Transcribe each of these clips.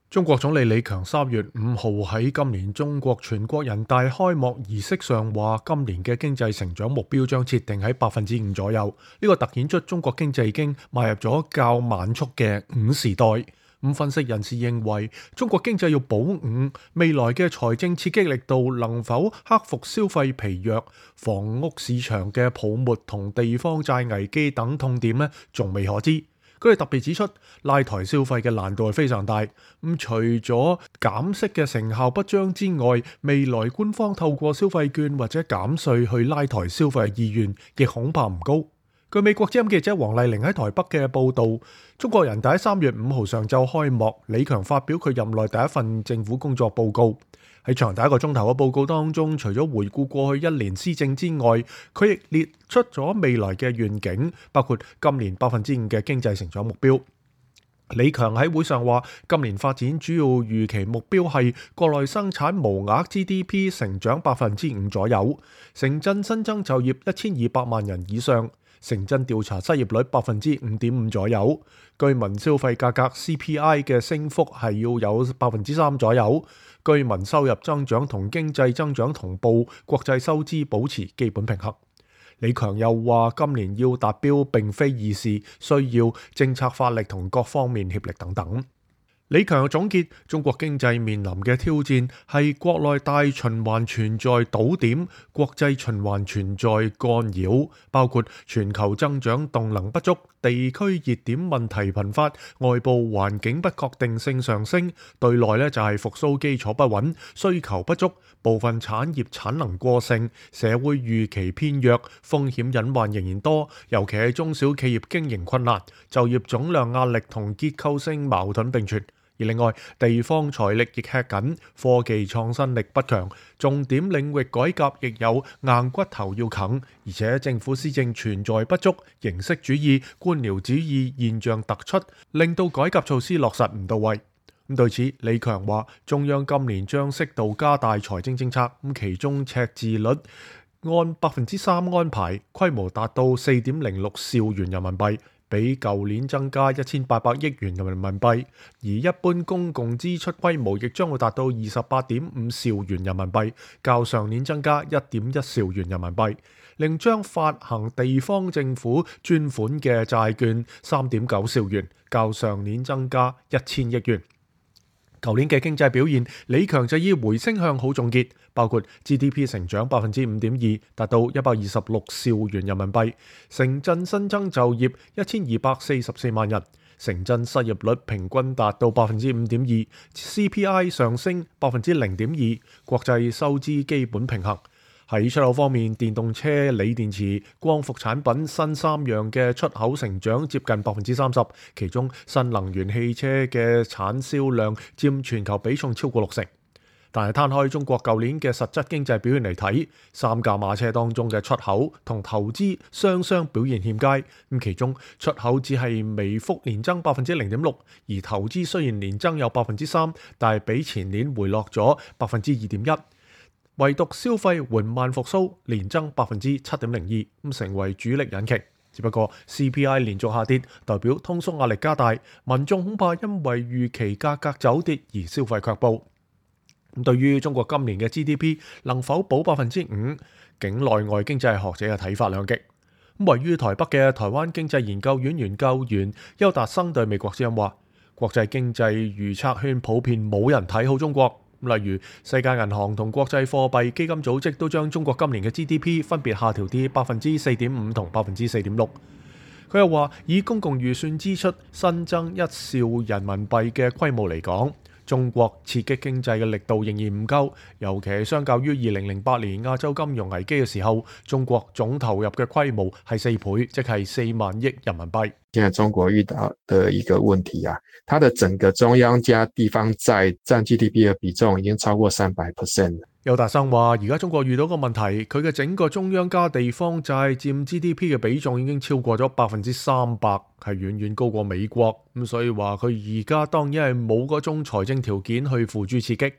中國總理李強3月5號喺今年中國全國人大開幕儀式上話，今年嘅經濟成長目標將設定喺5%左右。呢個突顯出中國經濟已經邁入咗較慢速嘅5時代。分析人士認為，中國經濟要保五，未來嘅財政刺激力度能否克服消費疲弱、房屋市場嘅泡沫同地方債危機等痛點呢，仲未可知。佢哋特別指出，拉抬消費嘅難度係非常大。除咗減息嘅成效不彰之外，未來官方透過消費券或者減稅去拉抬消費嘅意願，亦恐怕唔高。據美國之音記者黃麗玲喺台北嘅報導，中國人大喺3月5號上晝開幕，李強發表佢任內第一份政府工作報告。喺長達1個鐘頭嘅報告當中，除咗回顧過去1年施政之外，佢亦列出咗未來嘅願景，包括今年5%嘅經濟成長目標。李強喺會上話，今年發展主要預期目標係國內生產無額 GDP 成長5%左右，城鎮新增就業1200萬人以上，城鎮調查失業率5.5%左右，居民消費價格 CPI 嘅升幅係要有3%左右，居民收入增長同經濟增長同步，國際收支保持基本平衡。李強又話，今年要達標並非易事，需要政策發力同各方面協力等等。李強又總結，中國經濟面臨嘅挑戰係國內大循環存在堵點，國際循環存在干擾，包括全球增長動能不足、地區熱點問題頻發、外部環境不確定性上升，對內就係復甦基礎不穩、需求不足、部分產業產能過剩、社會預期偏弱、風險隱患仍然多，尤其係中小企業經營困難、就業總量壓力同結構性矛盾並存。而另外，地方財力亦吃緊，科技創新力不強，重點領域改革亦有硬骨頭要啃，而且政府施政存在不足，形式主義、官僚主義現象突出，令到改革措施落實唔到位。對此，李強話，中央今年將適度加大財政政策，其中赤字率按3%安排，規模達到4.06兆元人民幣。比舊年增加1800億元人民幣，而一般公共支出規模亦將會達到28.5兆元人民幣，較上年增加1.1兆元人民幣。另將發行地方政府專款嘅債券3.9兆元，較上年增加1000億元。舊年嘅經濟表現，李強就以回升向好總結，包括 GDP 成長5.2%，達到126兆元人民幣；城鎮新增就業1244萬人，城鎮失業率平均達到5.2%， CPI 上升0.2%，國際收支基本平衡。喺出口方面，電動車、鋰電池、光伏產品新3樣嘅出口成長接近30%，其中新能源汽車嘅產銷量佔全球比重超過60%。但係攤開中國舊年嘅實質經濟表現嚟睇，3駕馬車當中嘅出口同投資雙表現欠佳。其中出口只係微幅年增0.6%，而投資雖然年增有3%，但係比前年回落咗2.1%。唯獨消費緩慢復甦，年增7.02%，成為主力引擎。只不過 CPI 連續下跌，代表通縮壓力加大，民眾恐怕因為預期價格走跌而消費卻步。對於中國今年嘅 GDP 能否保5%，境內外經濟學者嘅睇法兩極。位於台北嘅台灣經濟研究院研究員邱達生對美國之音話，國際經濟預測圈普遍冇人睇好中國。例如世界銀行同國際貨幣基金組織都將中國今年嘅 GDP 分別下調至4.5%同4.6%。佢又話，以公共預算支出新增1兆人民幣嘅規模嚟講，中國刺激經濟嘅力度仍然唔夠，尤其係相較於2008年亞洲金融危機嘅時候，中國總投入嘅規模係4倍，即係4萬億人民幣。現在中國遇到的一個問題啊，它的整個中央加地方債佔 GDP 嘅比重已經超過300%。邱達生話，而家中國遇到個問題，佢嘅整個中央加地方債佔 GDP 嘅比重已經超過咗300%，係遠遠高過美國。所以話佢而家當然係冇嗰種財政條件去付諸刺激。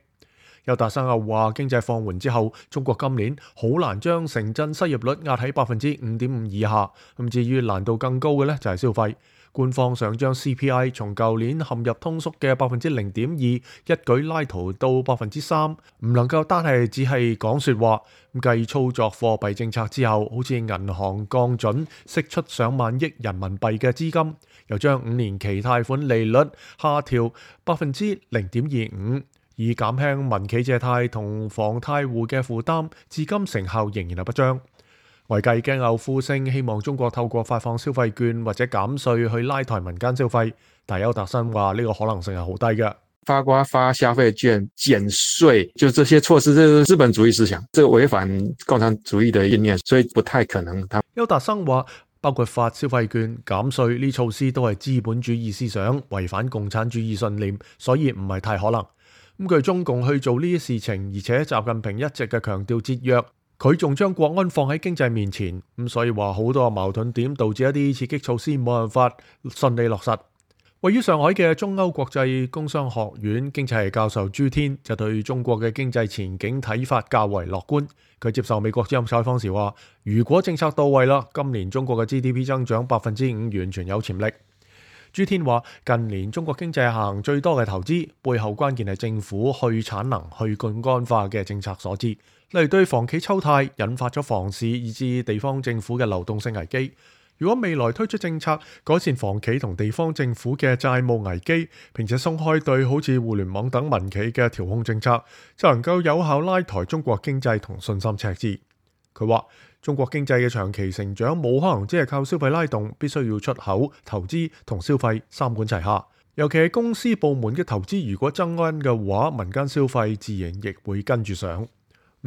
邱達生又話，經濟放緩之後，中國今年好難將城鎮失業率壓喺5.5%以下。至於難度更高嘅呢，就係消費。官方想將 CPI 從舊年陷入通縮嘅0.2%一舉拉抬到3%，唔能夠單係只係講説話。繼操作貨幣政策之後，好似銀行降準釋出上萬億人民幣嘅資金，又將5年期貸款利率下調0.25%，以減輕民企借貸同房貸戶嘅負擔，至今成效仍然係不彰。外界驚有呼聲，希望中國透過發放消費券或者減稅去拉抬民間消費，但邱達生話呢個可能性係好低嘅。發消費券、減稅，就這些措施，這是資本主義思想，這違反共產主義的理念，所以不太可能。邱達生話，包括發消費券、減稅呢措施都係資本主義思想，違反共產主義信念，所以唔係太可能。咁據中共去做呢啲事情，而且習近平一直嘅強調節約，佢仲將國安放喺經濟面前，咁所以話好多矛盾點導致一啲刺激措施冇辦法順利落實。位於上海嘅中歐國際工商學院經濟系教授朱天就對中國嘅經濟前景睇法較為樂觀。佢接受美國之音採訪時話，如果政策到位啦，今年中國嘅 GDP 增長5%完全有潛力。朱天話，近年中國經濟行最多嘅投資，背後關鍵係政府去產能、去槓桿化嘅政策所致，例如對房企抽貸，引發咗房市以至地方政府嘅流動性危機。如果未來推出政策改善房企同地方政府嘅債務危機，並且鬆開對好似互聯網等民企嘅調控政策，就能夠有效拉抬中國經濟同信心赤字。佢話，中國經濟嘅長期成長冇可能只係靠消費拉動，必須要出口、投資同消費三管齊下。尤其係公司部門嘅投資如果增溫嘅話，民間消費自然亦會跟住上。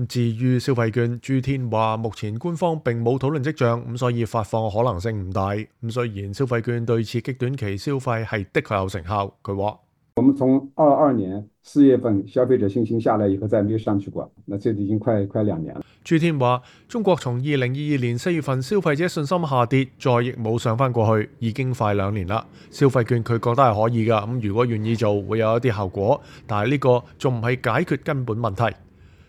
至於消費券，朱天話目前官方並冇討論跡象，咁所以發放可能性唔大。咁雖然消費券對刺激短期消費係的確有成效，佢話：我們從22年4月份消費者信心下來以後，再沒有上去過，那這已經快2年了。朱天話：中國從2022年4月份消費者信心下跌，再亦冇上返過去，已經快2年啦。消費券佢覺得係可以㗎，咁如果願意做，會有一啲效果，但係呢個仲唔係解決根本問題。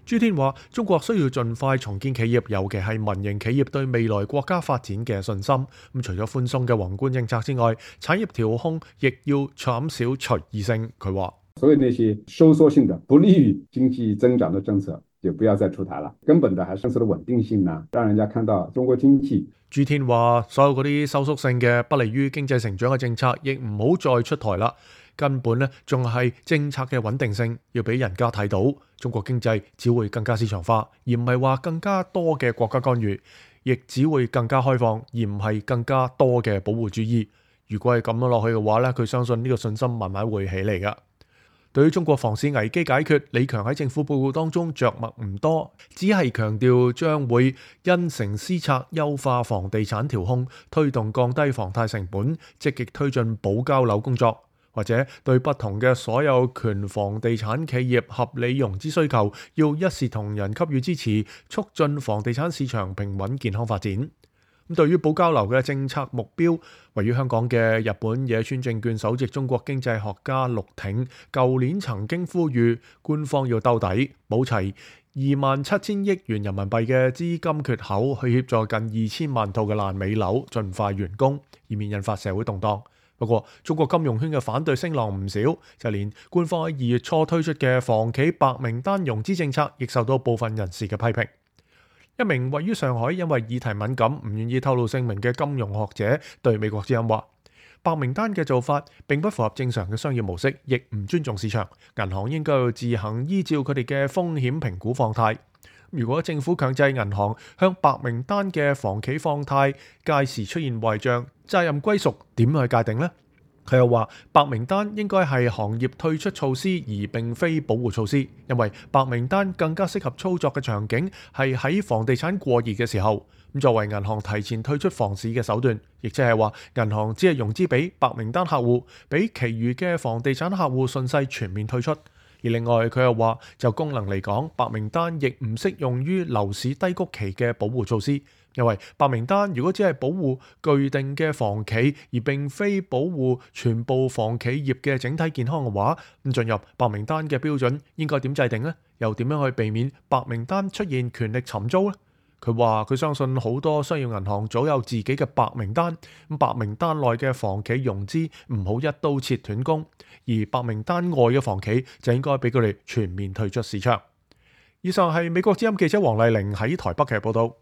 朱天話：中國需要盡快重建企業，尤其係民營企業對未來國家發展嘅信心。咁除咗寬鬆嘅宏觀政策之外，產業調控亦要減少隨意性。佢話：所以那些收縮性的、不利於經濟增長的政策，就不要再出台了。根本的還是政策的穩定性呢，讓人家看到中國經濟。朱天話：所有嗰啲收縮性嘅、不利於經濟成長嘅政策，亦唔好再出台啦。根本呢，仲係政策嘅穩定性，要俾人家睇到，中國經濟只會更加市場化，而唔係話更加多嘅國家干預，亦只會更加開放，而唔係更加多嘅保護主義。如果係咁樣落去嘅話呢，佢相信呢個信心慢慢會起嚟㗎。對於中國房市危機解決，李強喺政府報告當中着墨唔多，只係強調將會因城施策，優化房地產調控，推動降低房貸成本，積極推進保交樓工作。或者對不同嘅所有權房地產企業合理融資需求，要一視同仁給予支持，促進房地產市場平穩健康發展。咁對於保交樓嘅政策目標，位於香港嘅日本野村證券首席中國經濟學家陸挺，舊年曾經呼籲官方要兜底，補齊27,000億元人民幣嘅資金缺口，去協助近2000萬套嘅爛尾樓盡快完工，以免引發社會動盪。不過，中國金融圈嘅反對聲浪唔少，就連官方喺2月初推出嘅房企白名單融資政策，亦受到部分人士嘅批評。一名位於上海因為議題敏感唔願意透露姓名嘅金融學者對美國之音話：白名單嘅做法並不符合正常嘅商業模式，亦唔尊重市場。銀行應該要自行依照佢哋嘅風險評估放貸。如果政府強制銀行向白名單嘅房企放貸，屆時出現壞帳，責任歸屬點去界定呢？佢又話白名單應該係行業退出措施，而並非保護措施，因為白名單更加適合操作嘅場景係喺房地產過熱嘅時候。咁作為銀行提前退出房市嘅手段，亦即係話銀行只係融資俾白名單客戶，俾其餘嘅房地產客戶順勢全面退出。而另外佢又話，就功能嚟講，白名單亦唔適用於樓市低谷期嘅保護措施，因為白名單如果只係保護具定嘅房企，而並非保護全部房企業嘅整體健康嘅話，咁進入白名單嘅標準應該點制定呢？又點樣去避免白名單出現權力尋租呢？佢話佢相信好多商業銀行早有自己嘅白名單，白名單內嘅房企融資唔好一刀切斷供，而白名單外嘅房企就應該俾佢哋全面退出市場。以上係美國之音記者黃麗玲喺台北嘅報道。